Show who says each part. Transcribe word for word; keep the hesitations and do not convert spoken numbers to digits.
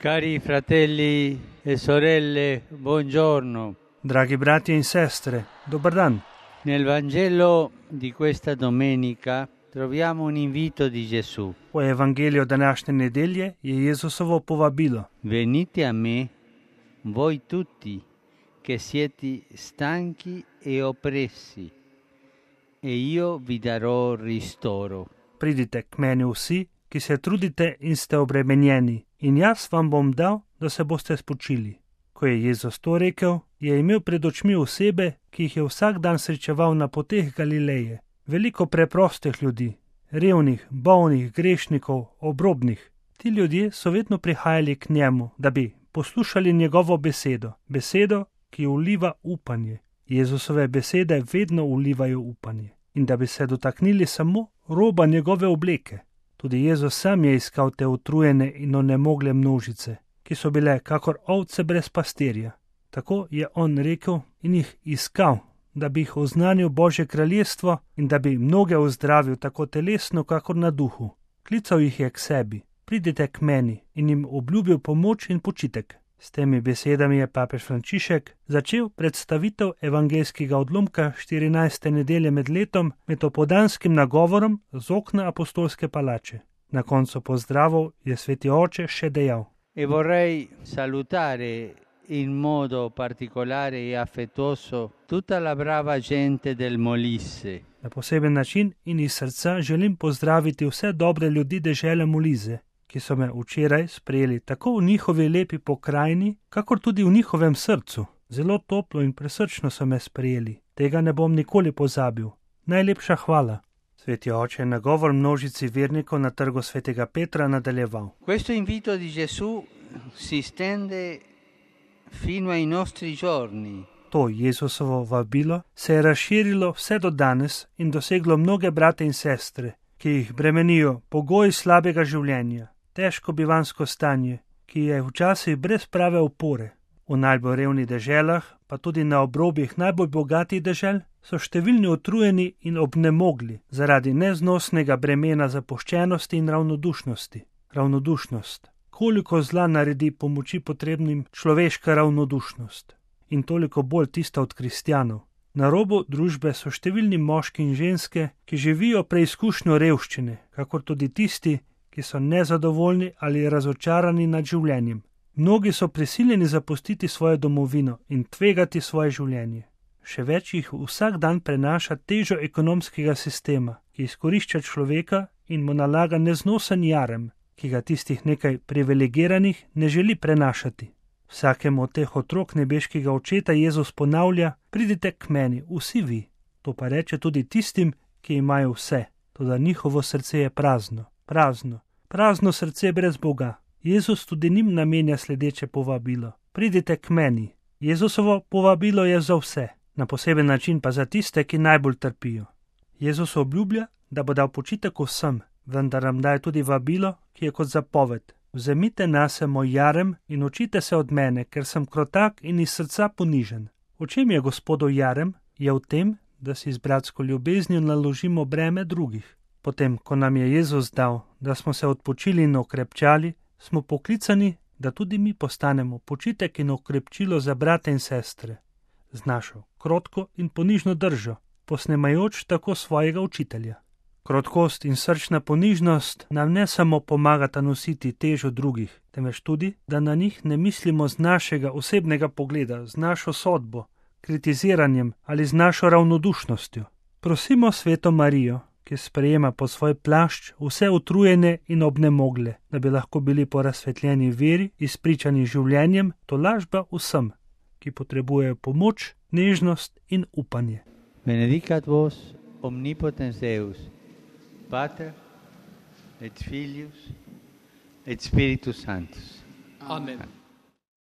Speaker 1: Cari fratelli e sorelle, buongiorno.
Speaker 2: Dragi bratia in sestre, dobar dan.
Speaker 1: Nel Vangelo di questa domenica troviamo un invito di Gesù.
Speaker 2: U Evangeliju današnje nedelje je Jezusovo povabilo.
Speaker 1: Venite a me, voi tutti che siete stanchi e oppressi, e io vi darò ristoro.
Speaker 2: Pridite k meni vsi, ki se trudite in ste obremenjeni, in jaz vam bom dal, da se boste spočili. Ko je Jezus to rekel, je imel pred očmi osebe, ki jih je vsak dan srečeval na poteh Galileje. Veliko preprostih ljudi, revnih, bolnih, grešnikov, obrobnih. Ti ljudje so vedno prihajali k njemu, da bi poslušali njegovo besedo, besedo, ki vliva upanje. Jezusove besede vedno vlivajo upanje. In da bi se dotaknili samo roba njegove obleke. Tudi Jezus sam je iskal te utrujene in onemogle množice, ki so bile kakor ovce brez pastirja. Tako je on rekel in jih iskal, da bi jih oznanil Božje kraljestvo in da bi mnoge ozdravil tako telesno, kakor na duhu. Klical jih je k sebi, pridite k meni, in jim obljubil pomoč in počitek. S temi besedami je papež Frančišek začel predstavitev evangeljskega odlomka štirinajste nedelje med letom med opoldanskim nagovorom z okna apostolske palače. Na koncu pozdravov je sveti oče še dejal:
Speaker 1: E vorrei salutare in modo particolare e affettuoso tutta la brava gente del Molise.
Speaker 2: Na poseben način in iz srca želim pozdraviti vse dobre ljudi dežele Molise, ki so me včeraj sprejeli tako v njihovi lepi pokrajini, kakor tudi v njihovem srcu. Zelo toplo in presrčno so me sprejeli. Tega ne bom nikoli pozabil. Najlepša hvala. Sveti oče je nagovor množici vernikov na trgu svetega Petra nadaljeval.
Speaker 1: Questo invito di Gesù si stende fino ai nostri giorni.
Speaker 2: To Jezusovo vabilo se je razširilo vse do danes in doseglo mnoge brate in sestre, ki jih bremenijo pogoji slabega življenja, težko bivansko stanje, ki je včasih brez prave opore. V najbolj revnih deželah, pa tudi na obrobjih najbolj bogatih dežel, so številni utrujeni in obnemogli zaradi neznosnega bremena zapuščenosti in ravnodušnosti. Ravnodušnost. Koliko zla naredi pomoči potrebnim človeška ravnodušnost. In toliko bolj tista od kristjanov. Na robu družbe so številni moški in ženske, ki živijo preizkušnjo revščine, kakor tudi tisti, ki so nezadovoljni ali razočarani nad življenjem. Mnogi so prisiljeni zapustiti svojo domovino in tvegati svoje življenje. Še več jih vsak dan prenaša težo ekonomskega sistema, ki izkorišča človeka in mu nalaga neznosen jarem, ki ga tistih nekaj privilegiranih ne želi prenašati. Vsakemu od teh otrok nebeškega očeta Jezus ponavlja: pridite k meni, vsi vi. To pa reče tudi tistim, ki imajo vse, toda njihovo srce je prazno, prazno, prazno srce brez Boga. Jezus tudi njim namenja sledeče povabilo: pridite k meni. Jezusovo povabilo je za vse, na poseben način pa za tiste, ki najbolj trpijo. Jezus obljublja, da bo dal počitek vsem, vendar nam daje tudi vabilo, ki je kot zapoved: vzemite nase moj jarem in učite se od mene, ker sem krotak in iz srca ponižen. V čem je Gospodov jarem? Je v tem, da si z bratsko ljubeznijo naložimo breme drugih. Potem, ko nam je Jezus dal, da smo se odpočili in okrepčali, smo poklicani, da tudi mi postanemo počitek in okrepčilo za brate in sestre. Z našo krotko in ponižno držo, posnemajoč tako svojega učitelja. Krotkost in srčna ponižnost nam ne samo pomagata nositi težo drugih, temveč tudi, da na njih ne mislimo z našega osebnega pogleda, z našo sodbo, kritiziranjem ali z našo ravnodušnostjo. Prosimo sveto Marijo, ki sprejema pod svoj plašč vse utrujene in obnemogle, da bi lahko bili po razsvetljeni veri izpričani življenjem, tolažba vsem, ki potrebujejo pomoč, nežnost in upanje.
Speaker 1: Benedicat vos omnipotens Deus, Pater et Filius et Spiritus Sanctus.
Speaker 3: Amen.